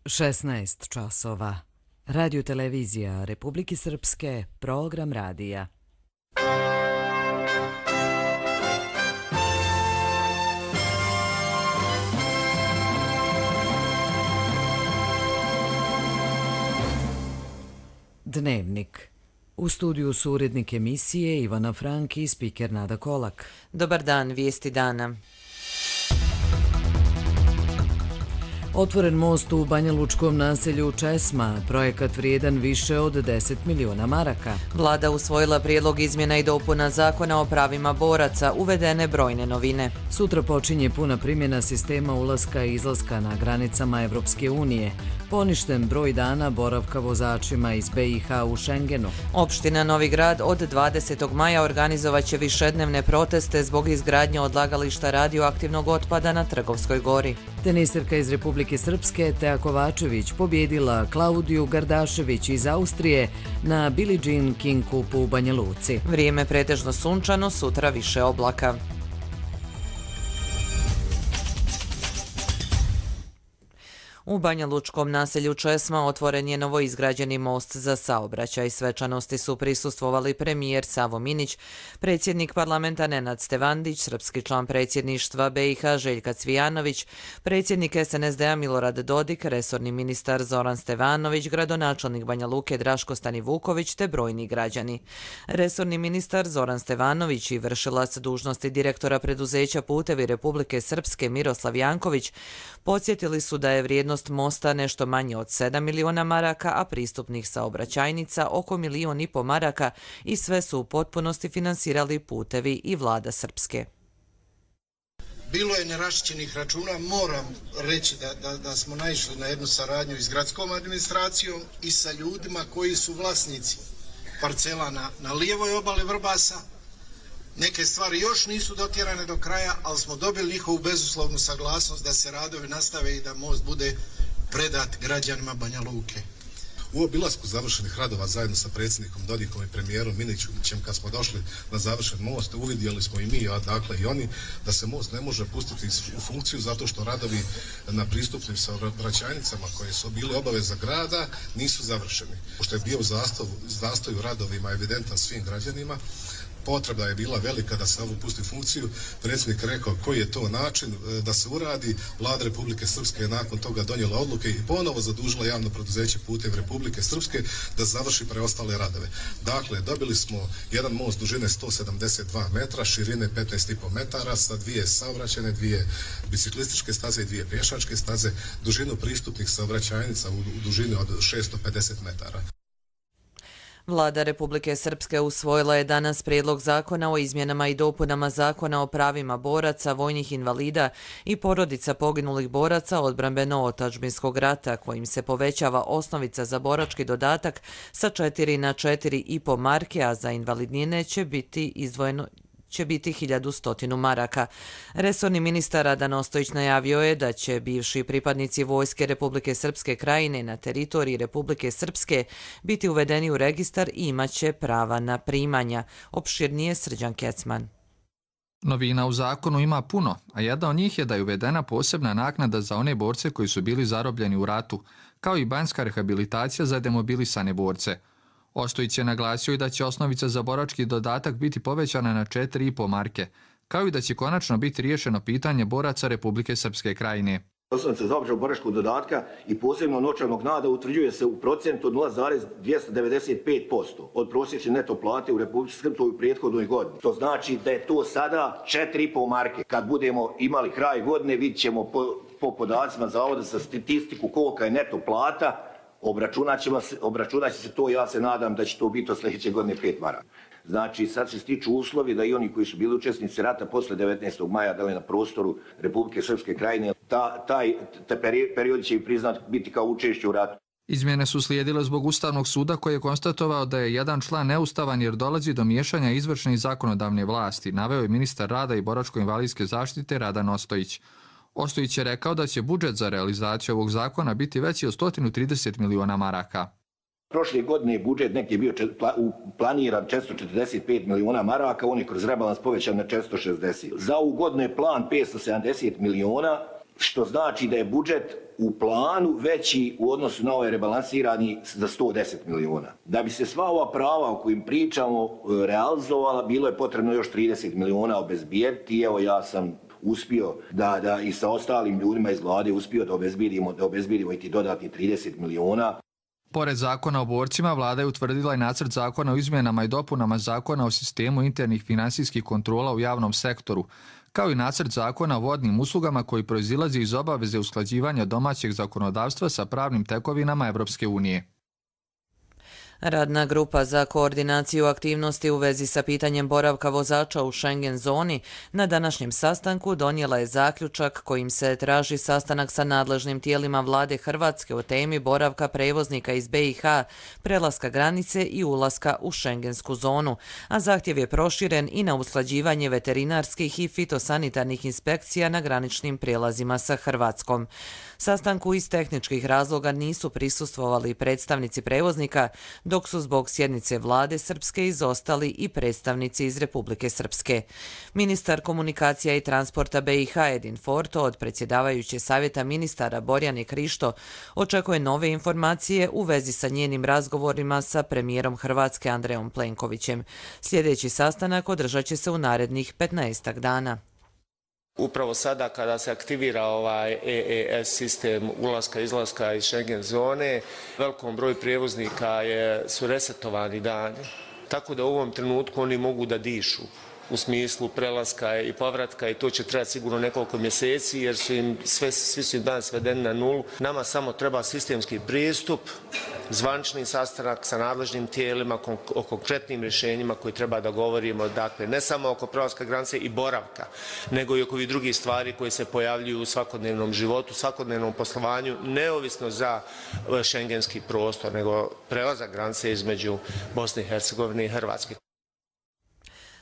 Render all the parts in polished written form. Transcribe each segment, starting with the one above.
16 časova. Radio televizija Republike Srpske, program radija. Dnevnik. U studiju su urednik emisije Ivana Frank i spiker Nada Kolak. Dobar dan, vijesti dana. Otvoren most u banjalučkom naselju Česma, projekat vrijedan više od 10 miliona maraka. Vlada usvojila prijedlog izmjena i dopuna zakona o pravima boraca, uvedene brojne novine. Sutra počinje puna primjena sistema ulaska i izlaska na granicama Evropske unije. Poništen broj dana boravka vozačima iz BiH u Šengenu. Opština Novi Grad od 20. maja organizovaće višednevne proteste zbog izgradnje odlagališta radioaktivnog otpada na Trgovskoj gori. Teniserka iz Republike Srpske Teja Kovačević pobjedila Klaudiju Gardašević iz Austrije na Billie Jean King Cupu u Banja Luci. Vrijeme pretežno sunčano, sutra više oblaka. U banjalučkom naselju Česma otvoren je novoizgrađeni most za saobraćaj. Svečanosti su prisustvovali premijer Savo Minić, predsjednik parlamenta Nenad Stevandić, srpski član predsjedništva BiH Željka Cvijanović, predsjednik SNSD-a Milorad Dodik, resorni ministar Zoran Stevanović, gradonačelnik Banja Luke Draško Stanivuković te brojni građani. Resorni ministar Zoran Stevanović i vršilac dužnosti direktora preduzeća Putevi Republike Srpske Miroslav Janković podsjetili su da je vrijednost mosta nešto manje od 7 miliona maraka, a pristupnih saobraćajnica oko 1,5 miliona maraka i sve su u potpunosti finansirali Putevi i vlada Srpske. Bilo je nerašćenih računa, moram reći da smo naišli na jednu saradnju i s gradskom administracijom i sa ljudima koji su vlasnici parcela na lijevoj obali Vrbasa. Neke stvari još nisu dotjerane do kraja, ali smo dobili njihovu bezuslovnu saglasnost da se radovi nastave i da most bude predat građanima Banja Luke. U obilasku završenih radova zajedno sa predsjednikom Dodikom i premijerom Minićem, kad smo došli na završen most, uvidjeli smo i mi, a dakle i oni, da se most ne može pustiti u funkciju zato što radovi na pristupnim saobraćajnicama koje su bili obaveza grada nisu završeni. Pošto je bio zastoj u radovima evidentan svim građanima, potreba je bila velika da se ovo pusti u funkciju. Predsjednik rekao koji je to način da se uradi. Vlada Republike Srpske je nakon toga donijela odluke i ponovo zadužila javno preduzeće Putevi Republike Srpske da završi preostale radove. Dakle, dobili smo jedan most dužine 172 metra, širine 15,5 metara sa 2 saobraćajne, 2 biciklističke staze i 2 pješačke staze, dužinu pristupnih saobraćajnica u dužini od 650 metara. Vlada Republike Srpske usvojila je danas prijedlog zakona o izmjenama i dopunama zakona o pravima boraca, vojnih invalida i porodica poginulih boraca odbrambeno-otadžbinskog rata, kojim se povećava osnovica za borački dodatak sa 4 na 4,5 marke, a za invalidnine će biti 1.100 maraka. Resorni ministar Radan Ostojić najavio je da će bivši pripadnici Vojske Republike Srpske Krajine na teritoriji Republike Srpske biti uvedeni u registar i imaće prava na primanja. Opširnije Srđan Kecman. Novina u zakonu ima puno, a jedna od njih je da je uvedena posebna naknada za one borce koji su bili zarobljeni u ratu, kao i banjska rehabilitacija za demobilisane borce. Ostojić je naglasio i da će osnovica za borački dodatak biti povećana na 4,5 marke, kao i da će konačno biti riješeno pitanje boraca Republike Srpske Krajine. Osnovica za obračun boračkog dodatka i posebno novčanog naknada utvrđuje se u procentu od 0,295% od prosječne neto plate u Republici Srpskoj u prethodnoj godini. To znači da je to sada 4,5 marke. Kad budemo imali kraj godine, vidjet ćemo po podacima Zavoda za statistiku kolika je neto plata. Obračunat će se to, ja se nadam da će to biti od sljedeće godine 5 maraka. Znači, sad se stiču uslovi da i oni koji su bili učesnici rata posle 19. maja, da li na prostoru Republike Srpske Krajine, taj period će priznat biti kao učešće u ratu. Izmjene su slijedile zbog Ustavnog suda koji je konstatovao da je jedan član neustavan jer dolazi do miješanja izvršne i zakonodavne vlasti, naveo je ministar rada i boračko-invalidske zaštite Radan Ostojić. Ostojić je rekao da će budžet za realizaciju ovog zakona biti veći od 130 miliona maraka. Prošle godine budžet neki bio planiran 445 miliona maraka, on je kroz rebalans povećan na 460. Za ovu godinu je plan 570 miliona što znači da je budžet u planu veći u odnosu na ovaj rebalansirani za 110 miliona. Da bi se sva ova prava o kojim pričamo realizovala, bilo je potrebno još 30 miliona obezbijediti. Evo, ja sam uspio da i sa ostalim ljudima iz vlade uspio da obezbijedimo i ti dodatni 30 miliona. Pored zakona o borcima, vlada je utvrdila i nacrt zakona o izmjenama i dopunama zakona o sistemu internih finansijskih kontrola u javnom sektoru, kao i nacrt zakona o vodnim uslugama koji proizilazi iz obaveze usklađivanja domaćeg zakonodavstva sa pravnim tekovinama Evropske unije. Radna grupa za koordinaciju aktivnosti u vezi sa pitanjem boravka vozača u Schengen zoni na današnjem sastanku donijela je zaključak kojim se traži sastanak sa nadležnim tijelima vlade Hrvatske o temi boravka prevoznika iz BiH, prelaska granice i ulaska u šengensku zonu, a zahtjev je proširen i na usklađivanje veterinarskih i fitosanitarnih inspekcija na graničnim prijelazima sa Hrvatskom. Sastanku iz tehničkih razloga nisu prisustvovali predstavnici prevoznika, dok su zbog sjednice vlade Srpske izostali i predstavnici iz Republike Srpske. Ministar komunikacija i transporta BiH Edin Forto od predsjedavajuće savjeta ministara Borjane Krišto očekuje nove informacije u vezi sa njenim razgovorima sa premijerom Hrvatske Andrejom Plenkovićem. Sljedeći sastanak održat će se u narednih 15 dana. Upravo sada kada se aktivira ovaj EES sistem ulaska i izlaska iz Schengen zone, velikom broju prijevoznika su resetovani dani, tako da u ovom trenutku oni mogu da dišu u smislu prelaska i povratka i to će trebati sigurno nekoliko mjeseci jer svi su im dan svedeni na nulu. Nama samo treba sistemski pristup, zvanični sastanak sa nadležnim tijelima o konkretnim rješenjima koji treba da govorimo, dakle ne samo oko prelaska granice i boravka, nego i oko ovih drugih stvari koje se pojavljuju u svakodnevnom životu, svakodnevnom poslovanju, neovisno za šengenski prostor, nego prelazak granice između Bosne i Hercegovine i Hrvatske.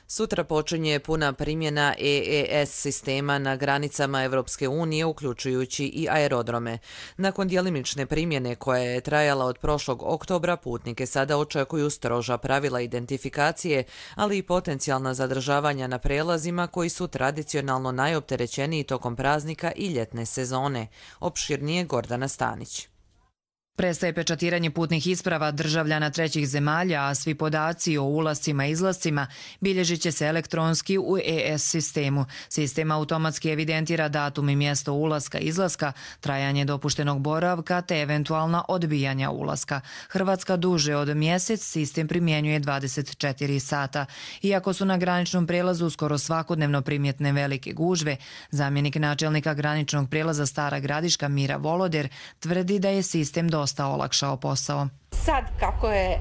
Sutra počinje puna primjena EES sistema na granicama Evropske unije, uključujući i aerodrome. Nakon djelimične primjene koja je trajala od prošlog oktobra, putnike sada očekuju stroža pravila identifikacije, ali i potencijalna zadržavanja na prelazima koji su tradicionalno najopterećeniji tokom praznika i ljetne sezone. Opširnije Gordana Stanić. Prestaje pečatiranje putnih isprava državljana trećih zemalja, a svi podaci o ulascima i izlascima bilježit će se elektronski u EES sistemu. Sistem automatski evidentira datum i mjesto ulaska i izlaska, trajanje dopuštenog boravka te eventualna odbijanja ulaska. Hrvatska duže od mjesec sistem primjenjuje 24 sata. Iako su na graničnom prelazu skoro svakodnevno primjetne velike gužve, zamjenik načelnika graničnog prelaza Stara Gradiška Mira Voloder tvrdi da je sistem dosta olakšao posao. Sad kako je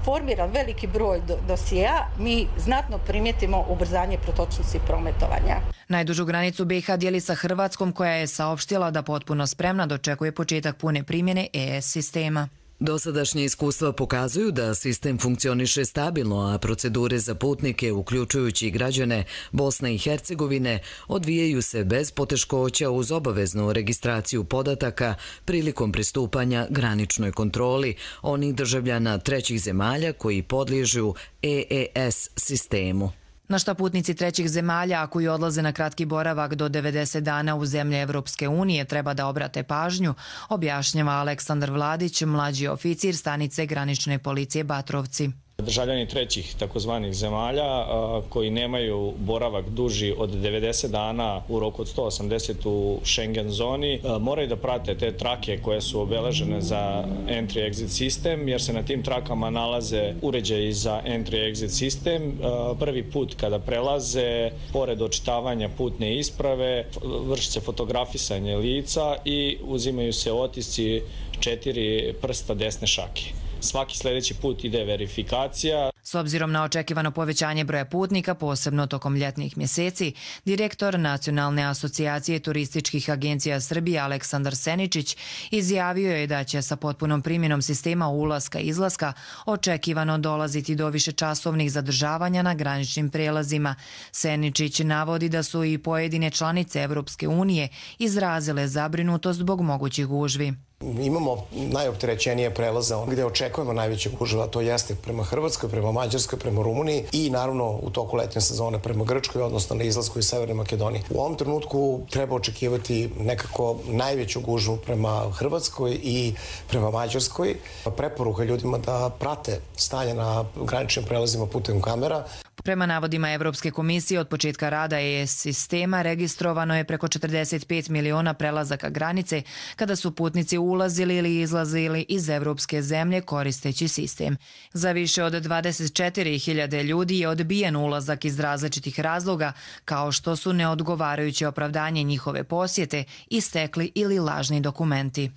formiran veliki broj dosjea, mi znatno primjetimo ubrzanje protočnosti prometovanja. Najdužu granicu BiH dijeli sa Hrvatskom koja je saopštila da potpuno spremna dočekuje početak pune primjene EES sistema. Dosadašnje iskustva pokazuju da sistem funkcioniše stabilno, a procedure za putnike, uključujući i građane Bosne i Hercegovine, odvijaju se bez poteškoća uz obaveznu registraciju podataka prilikom pristupanja graničnoj kontroli onih državljana trećih zemalja koji podliježu EES sistemu. Na šta putnici trećih zemalja koji odlaze na kratki boravak do 90 dana u zemlje Evropske unije treba da obrate pažnju, objašnjava Aleksandar Vladić, mlađi oficir stanice granične policije Batrovci. Državljani trećih takozvanih zemalja koji nemaju boravak duži od 90 dana u roku od 180 u Schengen zoni moraju da prate te trake koje su obeležene za entry-exit sistem, jer se na tim trakama nalaze uređaji za entry-exit sistem. Prvi put kada prelaze, pored očitavanja putne isprave, vrši se fotografisanje lica i uzimaju se otisci 4 prsta desne šake. Svaki sljedeći put ide verifikacija. S obzirom na očekivano povećanje broja putnika, posebno tokom ljetnih mjeseci, direktor Nacionalne asocijacije turističkih agencija Srbije Aleksandar Seničić izjavio je da će sa potpunom primjenom sistema ulaska i izlaska očekivano dolaziti do višečasovnih zadržavanja na graničnim prelazima. Seničić navodi da su i pojedine članice Evropske unije izrazile zabrinutost zbog mogućih gužvi. Imamo najopterećenije prelaze gdje očekujemo najvećeg gužva, to jeste prema Hrvatskoj, prema Mađarskoj, prema Rumuniji i naravno u toku letnje sezone prema Grčkoj, odnosno na izlasku iz Severne Makedonije. U ovom trenutku treba očekivati nekako najveću gužvu prema Hrvatskoj i prema Mađarskoj. Preporuka ljudima da prate stanje na graničnim prelazima putem kamera. Prema navodima Evropske komisije, od početka rada ES sistema registrovano je preko 45 miliona prelazaka granice kada su putnici ulazili ili izlazili iz evropske zemlje koristeći sistem. Za više od 24.000 ljudi je odbijen ulazak iz različitih razloga, kao što su neodgovarajuće opravdanje njihove posjete, istekli ili lažni dokumenti.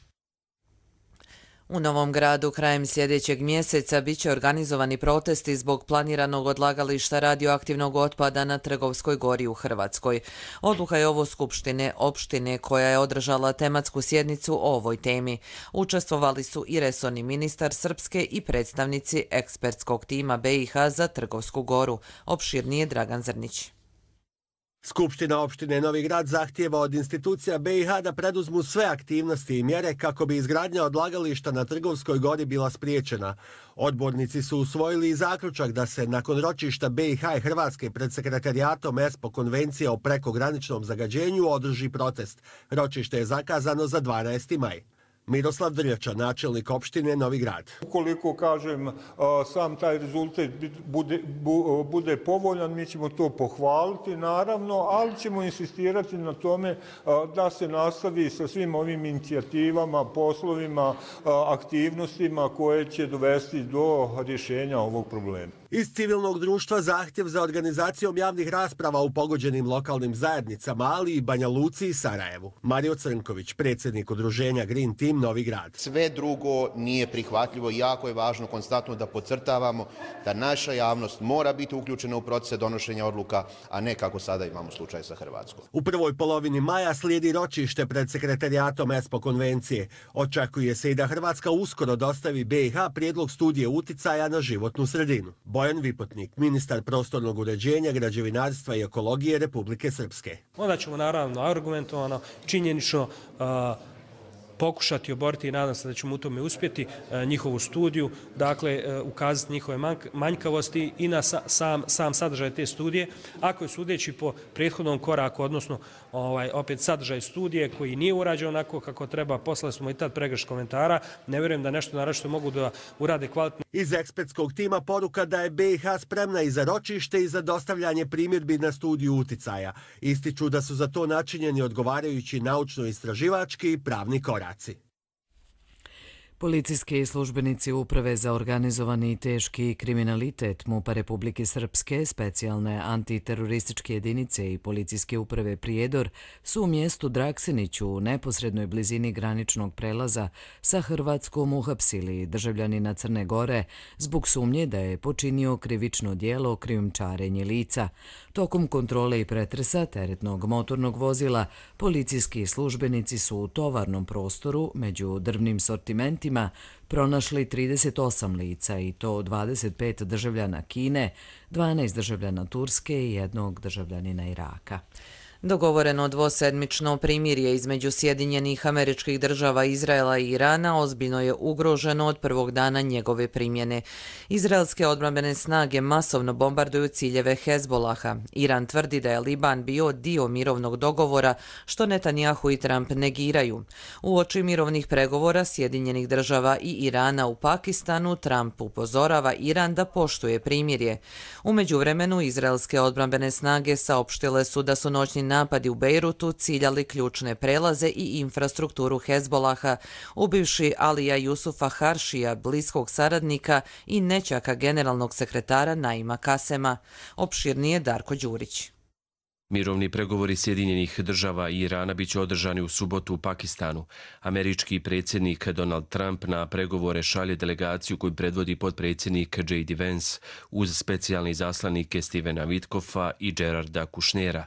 U Novom Gradu krajem sljedećeg mjeseca biće organizovani protesti zbog planiranog odlagališta radioaktivnog otpada na Trgovskoj gori u Hrvatskoj. Odluka je ovo skupštine opštine koja je održala tematsku sjednicu o ovoj temi. Učestvovali su i resorni ministar Srpske i predstavnici ekspertskog tima BiH za Trgovsku goru. Opširnije Dragan Zrnić. Skupština opštine Novi Grad zahtijeva od institucija BiH da preduzmu sve aktivnosti i mjere kako bi izgradnja odlagališta na Trgovskoj gori bila spriječena. Odbornici su usvojili i zaključak da se nakon ročišta BiH i Hrvatske pred sekretarijatom ESPO konvencije o prekograničnom zagađenju održi protest. Ročište je zakazano za 12. maj. Miroslav Drljača, načelnik opštine Novi Grad. Ukoliko, kažem, sam taj rezultat bude povoljan, mi ćemo to pohvaliti, naravno, ali ćemo insistirati na tome da se nastavi sa svim ovim inicijativama, poslovima, aktivnostima koje će dovesti do rješenja ovog problema. Iz civilnog društva zahtjev za organizacijom javnih rasprava u pogođenim lokalnim zajednicama, ali i Banja Luci i Sarajevu. Mario Crnković, predsjednik udruženja Green Team Novi Grad. Sve drugo nije prihvatljivo i jako je važno konstantno da podcrtavamo da naša javnost mora biti uključena u procese donošenja odluka, a ne kako sada imamo slučaj sa Hrvatskom. U prvoj polovini maja slijedi ročište pred sekretarijatom ESPO konvencije. Očekuje se i da Hrvatska uskoro dostavi BiH prijedlog studije uticaja na životnu sredinu. Bojan Vipotnik, ministar prostornog uređenja, građevinarstva i ekologije Republike Srpske. Onda ćemo naravno argumentovano, činjenično pokušati oboriti i nadam se da ćemo u tome uspjeti njihovu studiju, dakle ukazati njihove manjkavosti i na sam sadržaj te studije. Ako je sudeći po prethodnom koraku, odnosno opet sadržaj studije koji nije urađen onako kako treba, poslali smo i tad pregrš komentara, ne vjerujem da nešto naročito mogu da urade kvalitetno. Iz ekspertskog tima poruka da je BiH spremna i za ročište i za dostavljanje primjedbi na studiju uticaja. Ističu da su za to načinjeni odgovarajući naučno-istraživački i pravni koraci. Policijski službenici Uprave za organizovani i teški kriminalitet MUP-a Republike Srpske, specijalne antiterorističke jedinice i policijske uprave Prijedor su u mjestu Draksiniću u neposrednoj blizini graničnog prelaza sa Hrvatskom uhapsili državljanina Crne Gore zbog sumnje da je počinio krivično djelo krijumčarenje lica. Tokom kontrole i pretresa teretnog motornog vozila policijski službenici su u tovarnom prostoru među drvnim sortimentima pronašli 38 lica i to 25 državljana Kine, 12 državljana Turske i jednog državljanina Iraka. Dogovoreno dvosedmično primirje između Sjedinjenih Američkih Država, Izraela i Irana ozbiljno je ugroženo od prvog dana njegove primjene. Izraelske odbrambene snage masovno bombarduju ciljeve Hezbolaha. Iran tvrdi da je Liban bio dio mirovnog dogovora, što Netanjahu i Trump negiraju. Uoči mirovnih pregovora Sjedinjenih Država i Irana u Pakistanu, Trump upozorava Iran da poštuje primirje. U međuvremenu, izraelske odbrambene snage saopštile su da su noćni napadi u Bejrutu ciljali ključne prelaze i infrastrukturu Hezbolaha, ubivši Alija Jusufa Haršija, bliskog saradnika i nećaka generalnog sekretara Naima Kasema. Opširnije Darko Đurić. Mirovni pregovori Sjedinjenih Država i Irana biće održani u subotu u Pakistanu. Američki predsjednik Donald Trump na pregovore šalje delegaciju koju predvodi potpredsjednik J.D. Vance uz specijalne izaslanike Stevena Witkoffa i Gerarda Kushnera.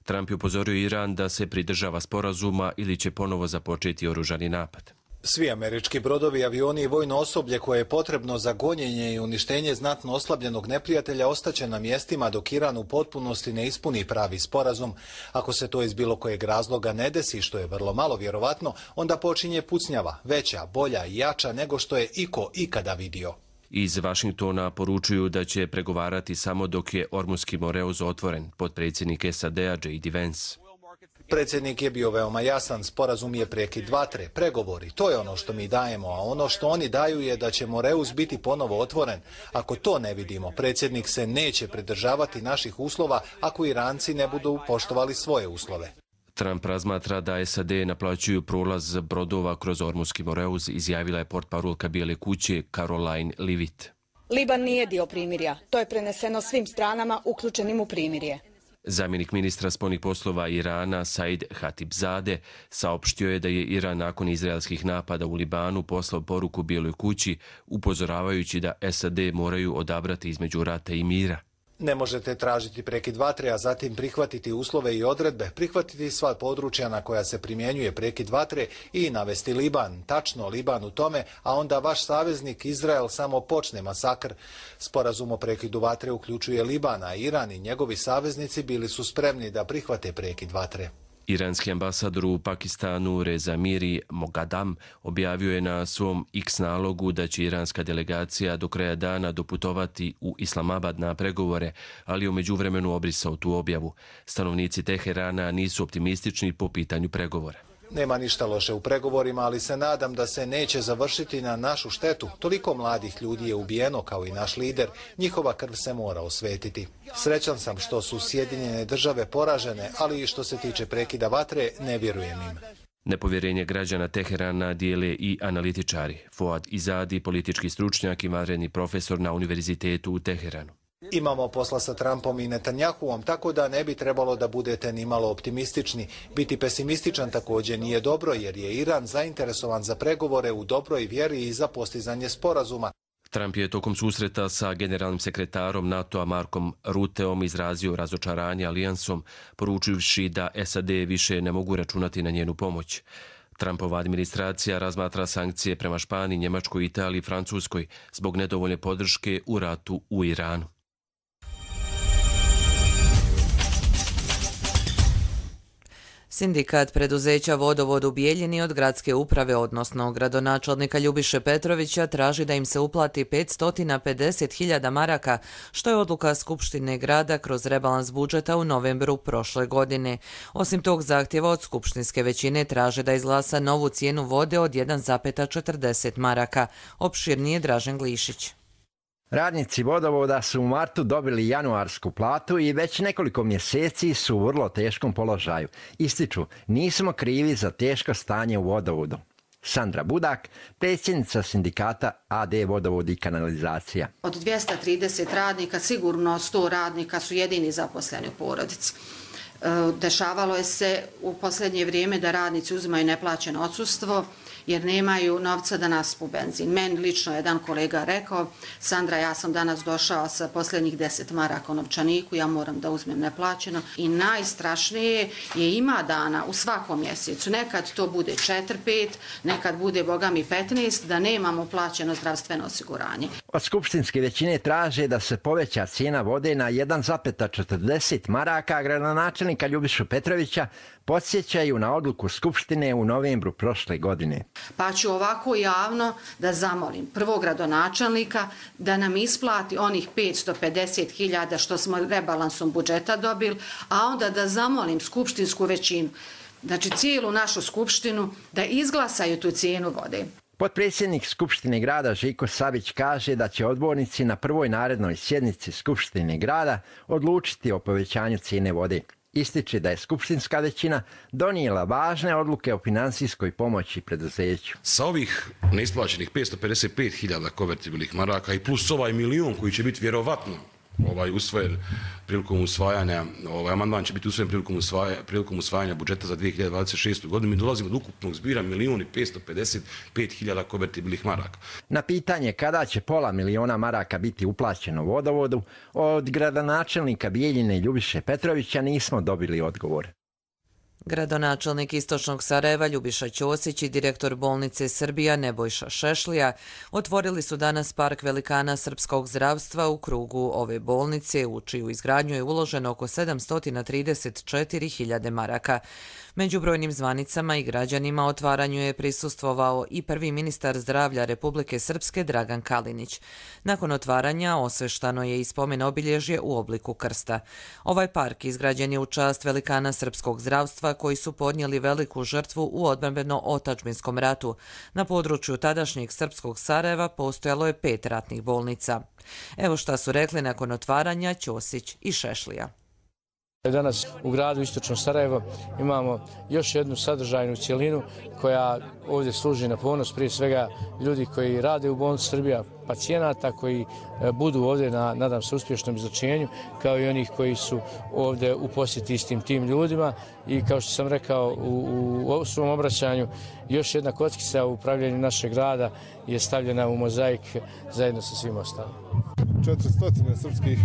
Trump je upozorio Iran da se pridržava sporazuma ili će ponovo započeti oružani napad. Svi američki brodovi, avioni i vojno osoblje koje je potrebno za gonjenje i uništenje znatno oslabljenog neprijatelja ostaće na mjestima dok Iran u potpunosti ne ispuni pravi sporazum. Ako se to iz bilo kojeg razloga ne desi, što je vrlo malo vjerovatno, onda počinje pucnjava, veća, bolja i jača nego što je iko ikada vidio. Iz Vašingtona poručuju da će pregovarati samo dok je Ormuski Moreuz otvoren, potpredsjednik SAD-a J.D. Vance. Predsjednik je bio veoma jasan, sporazum je prekid vatre, pregovori, to je ono što mi dajemo, a ono što oni daju je da će Moreuz biti ponovo otvoren. Ako to ne vidimo, predsjednik se neće pridržavati naših uslova ako Iranci ne budu poštovali svoje uslove. Trump razmatra da SAD naplaćuju prolaz brodova kroz Ormuski Moreuz, izjavila je portparolka Bijele kuće Caroline Leavitt. Liban nije dio primirja, to je preneseno svim stranama uključenim u primirje. Zamjenik ministra spoljnih poslova Irana Said Khatibzadeh saopštio je da je Iran nakon izraelskih napada u Libanu poslao poruku Bijeloj kući upozoravajući da SAD moraju odabrati između rata i mira. Ne možete tražiti prekid vatre, a zatim prihvatiti uslove i odredbe, prihvatiti sva područja na koja se primjenjuje prekid vatre i navesti Liban, tačno Liban u tome, a onda vaš saveznik Izrael samo počne masakr. Sporazum o prekidu vatre uključuje Liban, a Iran i njegovi saveznici bili su spremni da prihvate prekid vatre. Iranski ambasador u Pakistanu Reza Miri Mogadam objavio je na svom X nalogu da će iranska delegacija do kraja dana doputovati u Islamabad na pregovore, ali u međuvremenu obrisao tu objavu. Stanovnici Teherana nisu optimistični po pitanju pregovora. Nema ništa loše u pregovorima, ali se nadam da se neće završiti na našu štetu. Toliko mladih ljudi je ubijeno kao i naš lider. Njihova krv se mora osvetiti. Srećan sam što su Sjedinjene države poražene, ali i što se tiče prekida vatre, ne vjerujem im. Nepovjerenje građana Teherana dijele i analitičari. Fuad Izadi, politički stručnjak i vanredni profesor na univerzitetu u Teheranu. Imamo posla sa Trumpom i Netanjahuom, tako da ne bi trebalo da budete ni malo optimistični. Biti pesimističan također nije dobro, jer je Iran zainteresovan za pregovore u dobroj vjeri i za postizanje sporazuma. Trump je tokom susreta sa generalnim sekretarom NATO-a Markom Ruteom izrazio razočaranje alijansom, poručivši da SAD više ne mogu računati na njenu pomoć. Trumpova administracija razmatra sankcije prema Španiji, Njemačkoj, Italiji i Francuskoj zbog nedovoljne podrške u ratu u Iranu. Sindikat preduzeća Vodovod u Bijeljini od gradske uprave, odnosno gradonačelnika Ljubiše Petrovića, traži da im se uplati 550.000 maraka, što je odluka Skupštine grada kroz rebalans budžeta u novembru prošle godine. Osim tog zahtjeva od skupštinske većine traže da izglasa novu cijenu vode od 1,40 maraka. Opširnije Dražen Glišić. Radnici Vodovoda su u martu dobili januarsku platu i već nekoliko mjeseci su u vrlo teškom položaju. Ističu, nismo krivi za teško stanje u Vodovodu. Sandra Budak, predsjednica sindikata AD Vodovod i kanalizacija. Od 230 radnika, sigurno 100 radnika su jedini zaposleni u porodici. Dešavalo je se u posljednje vrijeme da radnici uzimaju neplaćeno odsustvo jer nemaju novca da naspu benzin. Meni lično jedan kolega rekao, Sandra, ja sam danas došao sa posljednjih 10 maraka u novčaniku, ja moram da uzmem neplaćeno. I najstrašnije je ima dana u svakom mjesecu, nekad to bude 4-5, nekad bude bogami 15, da nemamo plaćeno zdravstveno osiguranje. Od skupštinske većine traže da se poveća cijena vode na 1,40 maraka, gradonačelnika Ljubišu Petrovića podsjećaju na odluku Skupštine u novembru prošle godine. Pa ću ovako javno da zamolim prvog gradonačelnika da nam isplati onih 550.000 što smo rebalansom budžeta dobili, a onda da zamolim skupštinsku većinu, znači cijelu našu skupštinu, da izglasaju tu cijenu vode. Potpredsjednik Skupštine grada Žiko Savić kaže da će odbornici na prvoj narednoj sjednici Skupštine grada odlučiti o povećanju cijene vode. Ističe da je skupštinska većina donijela važne odluke o financijskoj pomoći preduzeću. Sa ovih neisplaćenih 555.000 konvertibilnih maraka i plus ovaj milion koji će biti vjerovatno usvojen prilikom usvajanja, amandman će biti usvojen prilikom usvajanja budžeta za 2026. godinu, mi dolazimo do ukupnog zbira 1.555.000 konvertibilnih maraka. Na pitanje kada će $500.000 maraka biti uplaćeno Vodovodu, od gradonačelnika Bijeljine Ljubiše Petrovića nismo dobili odgovor. Gradonačelnik Istočnog Sarajeva Ljubiša Ćosić i direktor bolnice Srbija Nebojša Šešlija otvorili su danas park velikana srpskog zdravstva u krugu ove bolnice, u čiju izgradnju je uloženo oko 734.000 maraka. Među brojnim zvanicama i građanima otvaranju je prisustvovao i prvi ministar zdravlja Republike Srpske Dragan Kalinić. Nakon otvaranja osveštano je i spomen obilježje u obliku krsta. Ovaj park izgrađen je u čast velikana srpskog zdravstva koji su podnijeli veliku žrtvu u odbrambeno-otadžbinskom ratu. Na području tadašnjeg srpskog Sarajeva postojalo je 5 ratnih bolnica. Evo šta su rekli nakon otvaranja Ćosić i Šešlija. Danas u gradu Istočno Sarajevo imamo još jednu sadržajnu cjelinu koja ovdje služi na ponos prije svega ljudi koji rade u bolnici Srbija, pacijenata koji budu ovdje na, nadam se, uspješnom izlečenju, kao i onih koji su ovdje u posjeti istim tim ljudima. I kao što sam rekao u svom obraćanju, još jedna kockica u upravljanju našeg grada je stavljena u mozaik zajedno sa svim ostalim. 400 srpskih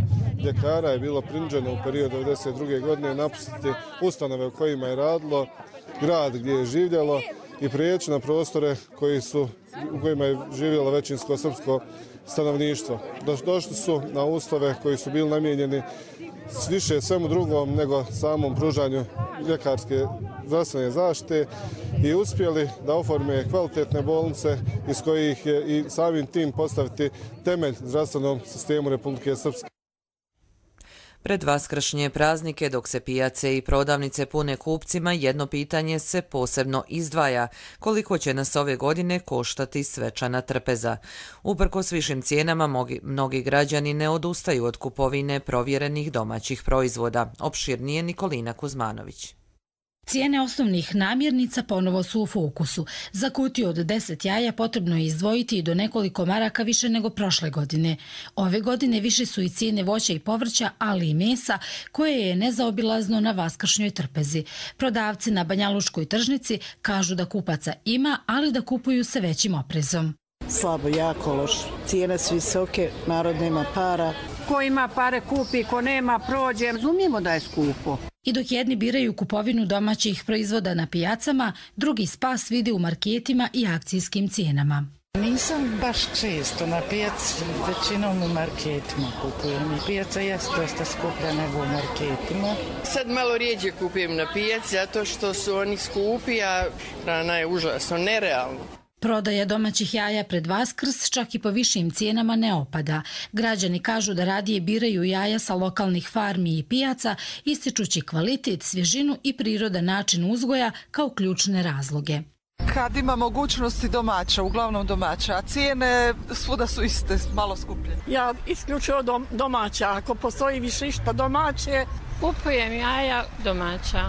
ljekara je bilo prinuđeno u periodu 1992. godine napustiti ustanove u kojima je radilo, grad gdje je živjelo i prijeći na prostore u kojima je živjelo većinsko srpsko stanovništvo. Došli su na uslove koji su bili namijenjeni više svemu drugom nego samom pružanju ljekarske zdravstvene zaštite i uspjeli da oforme kvalitetne bolnice iz kojih je i samim tim postaviti temelj zdravstvenom sistemu Republike Srpske. Pred vaskršnje praznike, dok se pijace i prodavnice pune kupcima, jedno pitanje se posebno izdvaja: koliko će nas ove godine koštati svečana trpeza? Uprkos višim cijenama, mnogi građani ne odustaju od kupovine provjerenih domaćih proizvoda. Opširnije Nikolina Kuzmanović. Cijene osnovnih namirnica ponovo su u fokusu. Za kutiju od 10 jaja potrebno je izdvojiti do nekoliko maraka više nego prošle godine. Ove godine više su i cijene voća i povrća, ali i mesa, koje je nezaobilazno na vaskršnjoj trpezi. Prodavci na Banjalučkoj tržnici kažu da kupaca ima, ali da kupuju se većim oprezom. Slabo, jako loš. Cijene su visoke, narod nema para. Ko ima pare kupi, ko nema prođe. Razumijemo da je skupo. I dok jedni biraju kupovinu domaćih proizvoda na pijacama, drugi spas vidi u marketima i akcijskim cijenama. Nisam baš često na pijaci, većinom u marketima kupujem. Pijaca jeste dosta skuplja nego u marketima. Sad malo rijeđe kupujem na pijaci zato što su oni skupi, a hrana je užasno, nerealno. Prodaja domaćih jaja pred Vaskrs čak i po višim cijenama ne opada. Građani kažu da radije biraju jaja sa lokalnih farmi i pijaca, ističući kvalitet, svježinu i prirodan način uzgoja kao ključne razloge. Kad ima mogućnosti domaća, uglavnom domaća, a cijene svuda su iste, malo skuplje. Ja isključivo domaća, ako postoji više išta domaće, kupujem jaja domaća.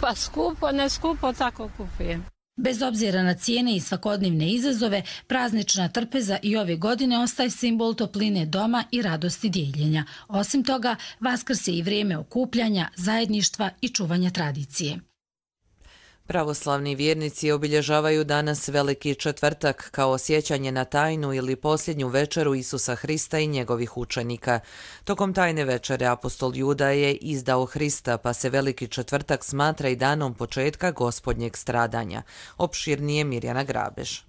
Pa skupo, ne skupo, tako kupujem. Bez obzira na cijene i svakodnevne izazove, praznična trpeza i ove godine ostaje simbol topline doma i radosti dijeljenja. Osim toga, Vaskrs je i vrijeme okupljanja, zajedništva i čuvanja tradicije. Pravoslavni vjernici obilježavaju danas Veliki četvrtak kao sjećanje na tajnu ili posljednju večeru Isusa Hrista i njegovih učenika. Tokom tajne večere apostol Juda je izdao Hrista, pa se Veliki četvrtak smatra i danom početka Gospodnjeg stradanja. Opširnije Mirjana Grabež.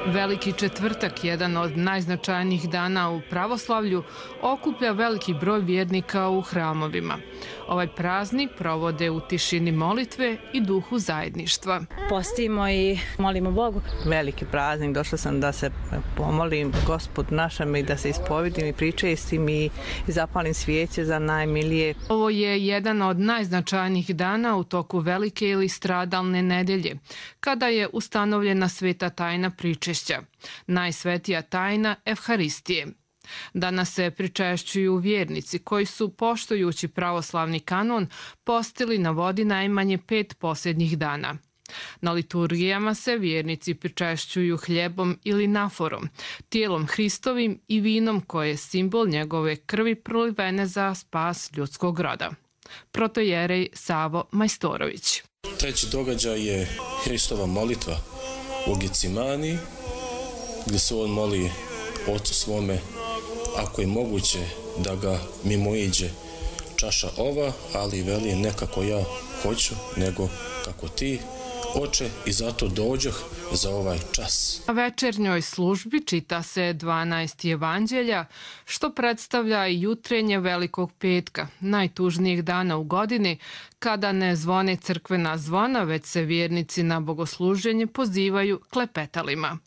Veliki četvrtak, jedan od najznačajnijih dana u pravoslavlju, okuplja veliki broj vjernika u hramovima. Ovaj praznik provode u tišini molitve i duhu zajedništva. Postimo i molimo Bogu. Veliki praznik, došla sam da se pomolim Gospod našem i da se ispovidim i pričestim i zapalim svijeće za najmilije. Ovo je jedan od najznačajnijih dana u toku velike ili stradalne nedelje, kada je ustanovljena sveta tajna pričešća, najsvetija tajna Evharistije. Danas se pričešćuju vjernici koji su, poštujući pravoslavni kanon, postili na vodi najmanje 5 posljednjih dana. Na liturgijama se vjernici pričešćuju hljebom ili naforom, tijelom Hristovim i vinom koje je simbol njegove krvi prolivene za spas ljudskog roda. Protojerej Savo Majstorović. Treći događaj je Hristova molitva u Gecimani, gdje se on moli Ocu svome ako je moguće da ga mimoiđe čaša ova, ali veli ne kako ja hoću, nego kako ti, Oče, i zato dođoh za ovaj čas. Na večernjoj službi čita se 12 evanđelja, što predstavlja i jutrenje Velikog petka, najtužnijeg dana u godini, kada ne zvone crkvena zvona, već se vjernici na bogosluženje pozivaju klepetalima.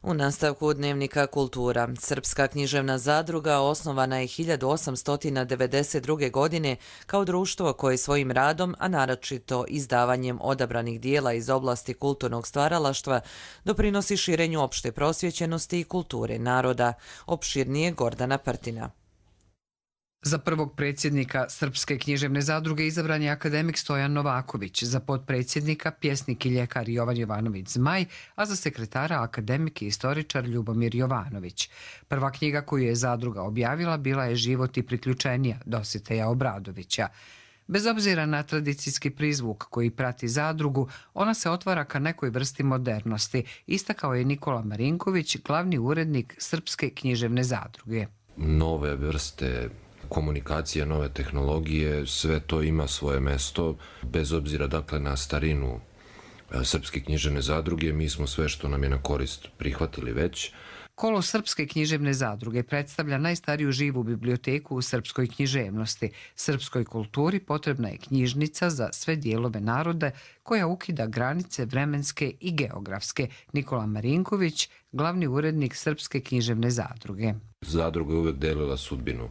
U nastavku Dnevnika kultura, Srpska književna zadruga osnovana je 1892. godine kao društvo koje svojim radom, a naročito izdavanjem odabranih dijela iz oblasti kulturnog stvaralaštva, doprinosi širenju opšte prosvjećenosti i kulture naroda. Opširnije Gordana Prtina. Za prvog predsjednika Srpske književne zadruge izabran je akademik Stojan Novaković, za potpredsjednika pjesnik i ljekar Jovan Jovanović Zmaj, a za sekretara akademik i istoričar Ljubomir Jovanović. Prva knjiga koju je zadruga objavila bila je Život i priključenja Dositeja Obradovića. Bez obzira na tradicijski prizvuk koji prati zadrugu, ona se otvara ka nekoj vrsti modernosti, istakao je Nikola Marinković, glavni urednik Srpske književne zadruge. Nove vrste komunikacije, nove tehnologije, sve to ima svoje mesto, bez obzira dakle na starinu Srpske književne zadruge, mi smo sve što nam je na korist prihvatili već. Kolo Srpske književne zadruge predstavlja najstariju živu biblioteku u srpskoj književnosti. Srpskoj kulturi potrebna je knjižnica za sve dijelove naroda koja ukida granice vremenske i geografske. Nikola Marinković, glavni urednik Srpske književne zadruge. Zadruga je uvek delila sudbinu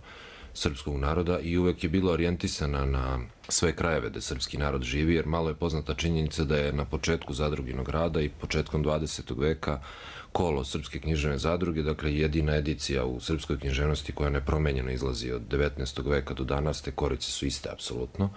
srpskog naroda i uvek je bila orijentisana na sve krajeve da srpski narod živi, jer malo je poznata činjenica da je na početku zadruginog rada i početkom 20. veka kolo Srpske književne zadruge, dakle jedina edicija u srpskoj književnosti koja nepromenjeno izlazi od 19. veka do danas, te korice su iste apsolutno.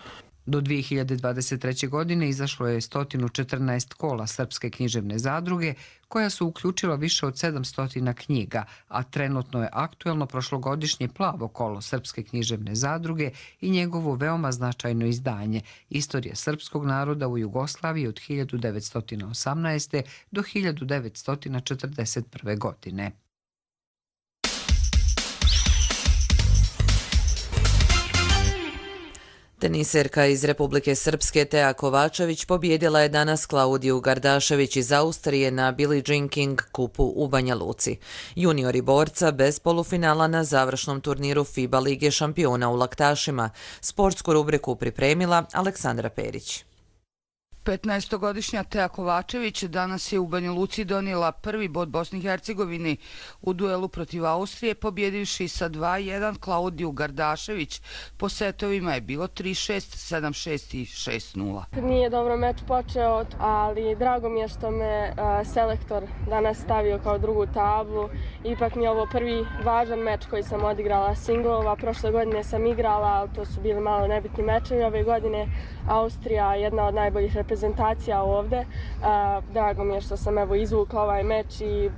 Do 2023. godine izašlo je 114 kola Srpske književne zadruge, koja su uključila više od 700 knjiga, a trenutno je aktuelno prošlogodišnje plavo kolo Srpske književne zadruge i njegovo veoma značajno izdanje Istorija srpskog naroda u Jugoslaviji od 1918. do 1941. godine. Teniserka iz Republike Srpske Teja Kovačević pobjedila je danas Klaudiju Gardašević iz Austrije na Billie Jean King kupu u Banja Luci. Juniori borca bez polufinala na završnom turniru FIBA Lige šampiona u laktašima. Sportsku rubriku pripremila Aleksandra Perić. 15-godišnja Teja Kovačević danas je u Banja Luci donijela prvi bod Bosni i Hercegovini u duelu protiv Austrije, pobjedivši sa 2-1 Klaudiju Gardašević. Po setovima je bilo 3-6, 7-6 i 6-0. Nije dobro meč počeo, ali drago mi je što me selektor danas stavio kao drugu tablu. Ipak mi je ovo prvi važan meč koji sam odigrala singlova. Prošle godine sam igrala, ali to su bili malo nebitni mečevi. Ove godine Austrija je jedna od najboljih reprezentacija ovde. Drago mi je što sam izvukla ovaj meč,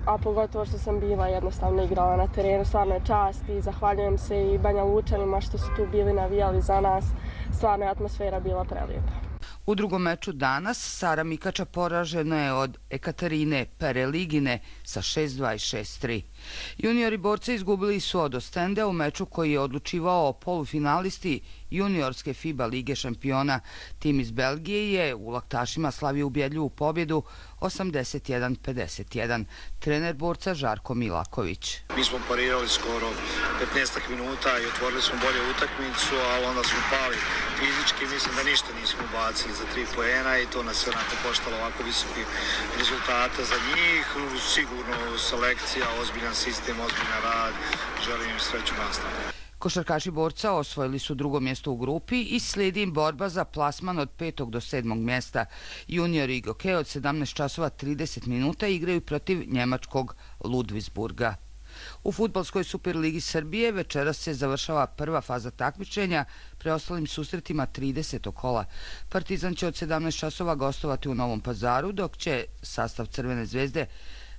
a pogotovo što sam bila jednostavno igrala na terenu. Stvarno je čast i zahvaljujem se i Banja Lučanima što su tu bili navijali za nas. Stvarno je atmosfera bila prelijepa. U drugom meču danas Sara Mikača poražena je od Ekaterine Pereligine sa 6-2 i 6-3. Juniori borci izgubili su od Ostende u meču koji je odlučivao o polufinalisti juniorske FIBA Lige šampiona. Tim iz Belgije je u laktašima slavio ubjedljivu pobjedu 81-51. Trener borca Žarko Milaković. Mi smo parirali skoro 15 minuta i otvorili smo bolje utakmicu, ali onda smo pali fizički. Mislim da ništa nismo bacili za 3 poena i to nas je onako koštalo ovako visoki rezultata za njih. Sigurno selekcija, ozbiljan sistem, ozbiljan rad. Želim im sreću nastavljaju. Košarkaši borca osvojili su drugo mjesto u grupi i slijedi im borba za plasman od 5. do 7. mjesta. Juniori Igoke od 17 časova 30 minuta igraju protiv njemačkog Ludwigsburga. U fudbalskoj Superligi Srbije večeras se završava prva faza takmičenja, preostalim susretima 30. kola. Partizan će od 17 časova gostovati u Novom Pazaru, dok će sastav Crvene zvezde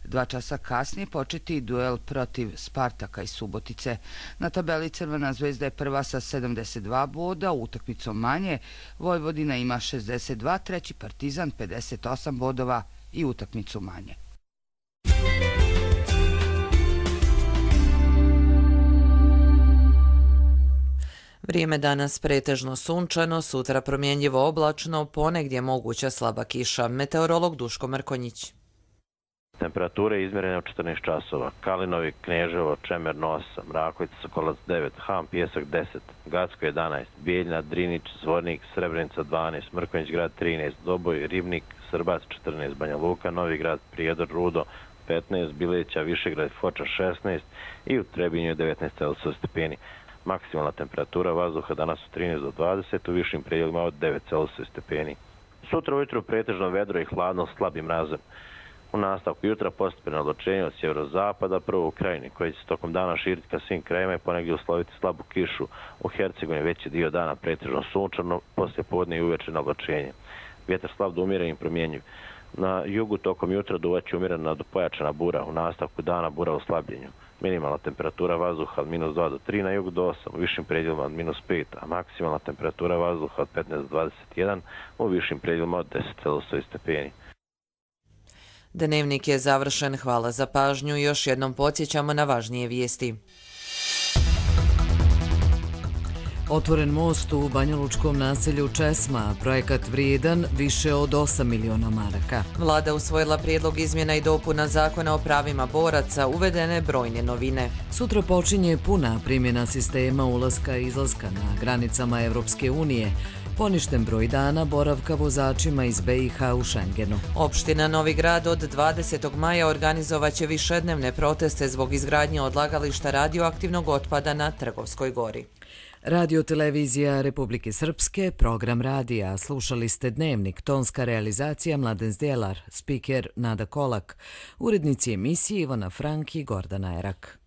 2 časa kasnije početi duel protiv Spartaka iz Subotice. Na tabeli Crvena zvezda je prva sa 72 boda, utakmicom manje. Vojvodina ima 62, treći Partizan 58 bodova i utakmicu manje. Vrijeme danas pretežno sunčano, sutra promjenjivo oblačno, ponegdje moguća slaba kiša. Meteorolog Duško Mrkonjić. Temperature izmjerene u 14 časova. Kalinovi, Kneževo, Čemer 8, Rakovica, Sokolac 9, Ham, Pijesak 10, Gacko 11, Bijeljina, Drinić, Zvornik, Srebrenica 12, Mrkonjić grad 13, Doboj, Ribnik, Srbac 14, Banja Luka, Novi grad, Prijedor, Rudo 15, Bileća, Višegrad, Foča 16 i u Trebinju je 19 Celzijusovih stepeni. Maksimalna temperatura vazduha danas u 13 do 20, u višim predjelima od 9 Celzijusovih stepeni. Sutra ujutru pretežno vedro i hladno s slabim mrazom. U nastavku jutra postepeno odločenje od sjeverozapada, prvo u Krajini, koji će se tokom dana širiti ka svim krajima i ponegdje usloviti slabu kišu. U Hercegovini veći dio dana pretežno sunčano, poslije podne i uveče na odločenje. Vjetar slab do umjeren i promjenjiv. Na jugu tokom jutra duvaće umjerena do pojačana bura, u nastavku dana bura u slabljenju. Minimalna temperatura vazduha od -2 do 3, na jugu do 8, u višim predjelima od -5, a maksimalna temperatura vazduha od 15 do 21, u višim predjelima od 10 Celzijusovih stepeni. Dnevnik je završen, hvala za pažnju i još jednom podsjećamo na važnije vijesti. Otvoren most u banjalučkom naselju Česma, projekat vrijedan više od 8 miliona maraka. Vlada usvojila prijedlog izmjena i dopuna zakona o pravima boraca, uvedene brojne novine. Sutra počinje puna primjena sistema ulaska i izlaska na granicama Evropske unije. Poništen broj dana boravka vozačima iz BiH u Šengenu. Opština Novi Grad od 20. maja organizovaće višednevne proteste zbog izgradnje odlagališta radioaktivnog otpada na Trgovskoj gori. Radio-televizija Republike Srpske, program radija. Slušali ste Dnevnik, tonska realizacija Mladen Zdjelar, spiker Nada Kolak, urednici emisije Ivana Frank i Gordana Erak.